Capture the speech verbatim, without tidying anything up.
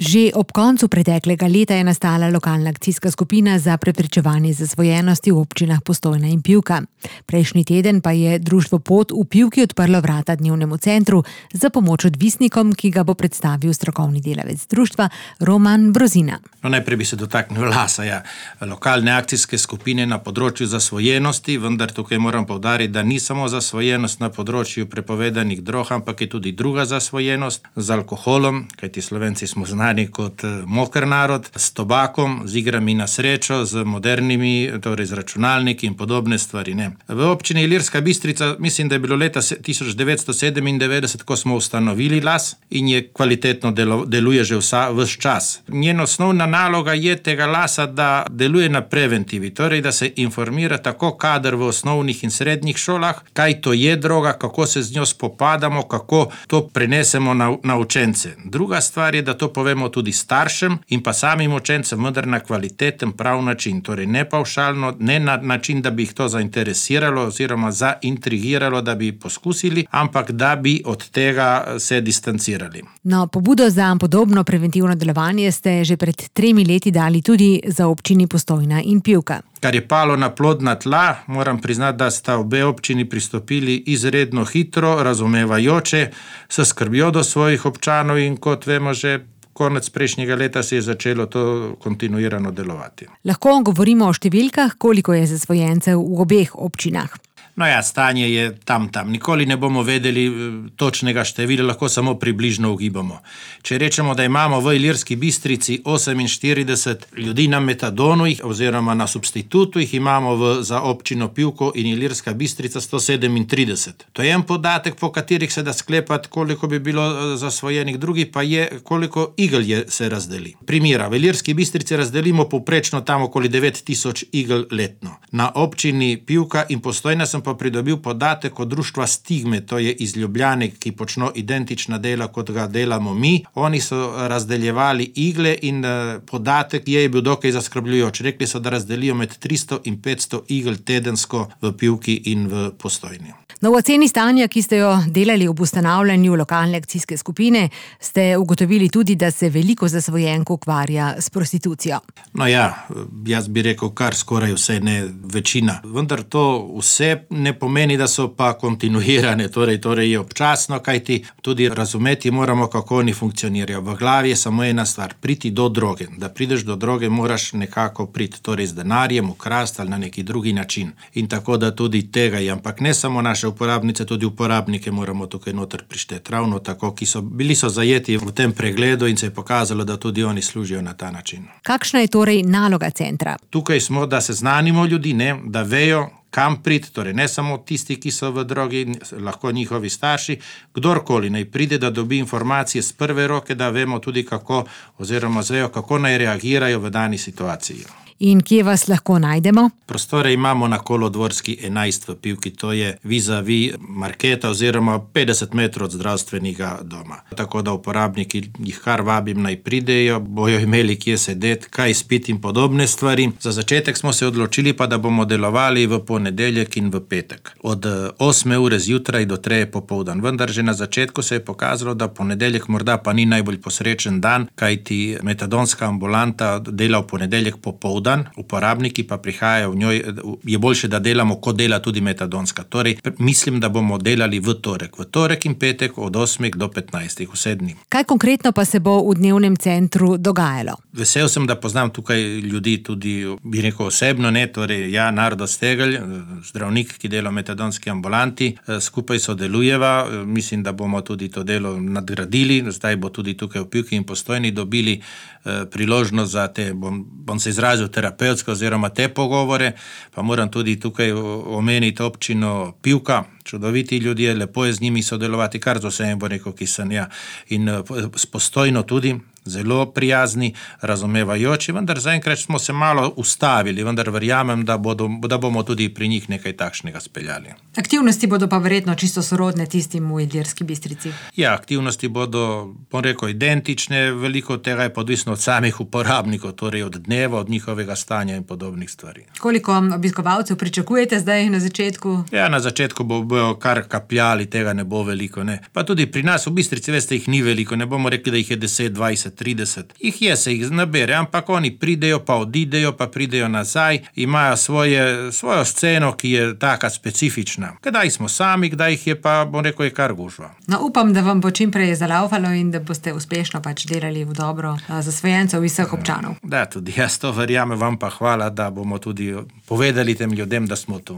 Že ob koncu preteklega leta je nastala lokalna akcijska skupina za preprečevanje zasvojenosti v občinah Postojna in Pivka. Prejšnji teden pa je društvo Pot v Pivki odprlo vrata dnevnemu centru za pomoč odvisnikom, ki ga bo predstavil strokovni delavec društva Roman Brozina. No, najprej bi se dotaknil Lasa, ja. Lokalne akcijske skupine na področju zasvojenosti, vendar tukaj moram poudariti, da ni samo zasvojenost na področju prepovedanih drog, ampak je tudi druga zasvojenost z alkoholom, kajti Slovenci smo znani kot moker narod, s tobakom, z igrami na srečo, z modernimi, torej z računalniki in podobne stvari. Ne. V občini Ilirska Bistrica, mislim, da je bilo leta tisoč devetsto sedemindevetdeset, ko smo ustanovili Las in je kvalitetno delo, deluje že vsa, vse čas. Njen osnovna naloga je tega Lasa, da deluje na preventivi, torej da se informira tako kader v osnovnih in srednjih šolah, kaj to je droga, kako se z njo spopadamo, kako to prenesemo na, na učence. Druga stvar je, da to povemo tudi staršem in pa samim učencem, vendar na kvaliteten prav način, torej ne pavšalno, ne na način, da bi jih to zainteresiralo oziroma zaintrigiralo, da bi poskusili, ampak da bi od tega se distancirali. No, pobudo za podobno preventivno delovanje ste že pred tremi leti dali tudi za občini Postojna in Pivka. Kar je palo na plodna tla, moram priznati, da sta obe občini pristopili izredno hitro, razumevajoče, s skrbjo do svojih občanov in kot vemo že konec prejšnjega leta se je začelo to kontinuirano delovati. Lahko govorimo o številkah, koliko je zasvojencev v obeh občinah. No ja, stanje je tam tam. Nikoli ne bomo vedeli točnega števila, lahko samo približno ugibamo. Če rečemo, da imamo v Ilirski Bistrici oseminštirideset ljudi na metadonu oziroma na substitutu, jih imamo v, za občino Pivko in Ilirska Bistrica sto sedemintrideset. To je en podatek, po katerih se da sklepati, koliko bi bilo zasvojenih, drugi pa je, koliko igel je, se razdeli. Primera, v Ilirski Bistrici razdelimo povprečno tam okoli devet tisoč igel letno. Na občini Pivka in Postojna sem pa pridobil podatek od društva Stigme, to je iz Ljubljane, ki počno identična dela, kot ga delamo mi. Oni so razdeljevali igle in podatek je bil dokaj zaskrbljujoč. Rekli so, da razdelijo med tristo in petsto igel tedensko v Pivki in v Postojni. No, v oceni stanja, ki ste jo delali ob ustanavljanju lokalne akcijske skupine, ste ugotovili tudi, da se veliko zasvojenk ukvarja s prostitucijo. No ja, jaz bi rekel kar skoraj vse, ne večina. Vendar to vse ne pomeni, da so pa kontinuirane, torej, torej je občasno, kajti tudi razumeti moramo, kako oni funkcionirajo. V glavi je samo ena stvar, priti do droge. Da prideš do droge, moraš nekako priti, torej z denarjem, ukrasti ali na neki drugi način. In tako da tudi tega je, ampak ne samo naše uporabnice, tudi uporabnike moramo tukaj noter prišteti. Ravno tako, ki so bili so zajeti v tem pregledu in se je pokazalo, da tudi oni služijo na ta način. Kakšna je torej naloga centra? Tukaj smo, da seznanimo ljudi, ne, da vejo, kam priti, torej ne samo tisti, ki so v drogi, lahko njihovi starši, kdorkoli naj pride, da dobi informacije z prve roke, da vemo tudi kako, oziroma zvejo, kako naj reagirajo v dani situaciji. In kje vas lahko najdemo? Prostore imamo na Kolodvorski enajst v Pivki, to je vis-a-vis marketa oziroma petdeset metrov od zdravstvenega doma. Tako da uporabniki jih kar vabim naj pridejo, bojo imeli kje sedeti, kaj spiti in podobne stvari. Za začetek smo se odločili pa, da bomo delovali v ponedeljek in v petek. Od osme ure zjutraj do treje popoldan. Vendar že na začetku se je pokazalo, da ponedeljek morda pa ni najbolj posrečen dan, kajti metadonska ambulanta dela v ponedeljek popoldan. Uporabniki pa prihajajo v njoj, je boljše, da delamo, kot dela tudi metadonska. Torej, mislim, da bomo delali v torek. V torek in petek od osmih do petnajstih, vse dni. Kaj konkretno pa se bo v dnevnem centru dogajalo? Vesel sem, da poznam tukaj ljudi tudi, bi rekel osebno, ne, torej ja, Nardo Stegelj, zdravnik, ki dela v metadonski ambulanti, skupaj sodelujeva, mislim, da bomo tudi to delo nadgradili, zdaj bo tudi tukaj v Pivki in Postojni dobili eh, priložnost za te, bom, bom se izrazil terapevtsko oziroma te pogovore, pa moram tudi tukaj omeniti občino Pivka, čudoviti ljudje, lepo je z njimi sodelovati, kar z vsem bo rekel, ki sem ja, in s Postojno tudi, zelo prijazni, razumevajoči, vendar zaenkrat smo se malo ustavili, vendar verjamem, da, bodo, da bomo tudi pri njih nekaj takšnega speljali. Aktivnosti bodo pa verjetno čisto sorodne tistim v Ilirski Bistrici. Ja, aktivnosti bodo, bom rekel, identične, veliko tega je podvisno od samih uporabnikov, torej od dneva, od njihovega stanja in podobnih stvari. Koliko obiskovalcev pričakujete zdaj na začetku? Ja, na začetku bo, bojo kar kapljali, tega ne bo veliko, ne. Pa tudi pri nas v Bistrici, veste, jih ni veliko, ne bomo rekli, da jih je deset, dvajset, trideset. Jih je, se jih nabere, ampak oni pridejo, pa odidejo, pa pridejo nazaj, imajo svoje, svojo sceno, ki je taka specifična. Kdaj smo sami, kdaj jih je pa, bom rekel, je kar gužva. No, upam, da vam bo čim prej zalaufalo in da boste uspešno pač delali v dobro zasvojencev vseh občanov. Da, tudi jaz to verjamem, vam pa hvala, da bomo tudi povedali tem ljudem, da smo tu.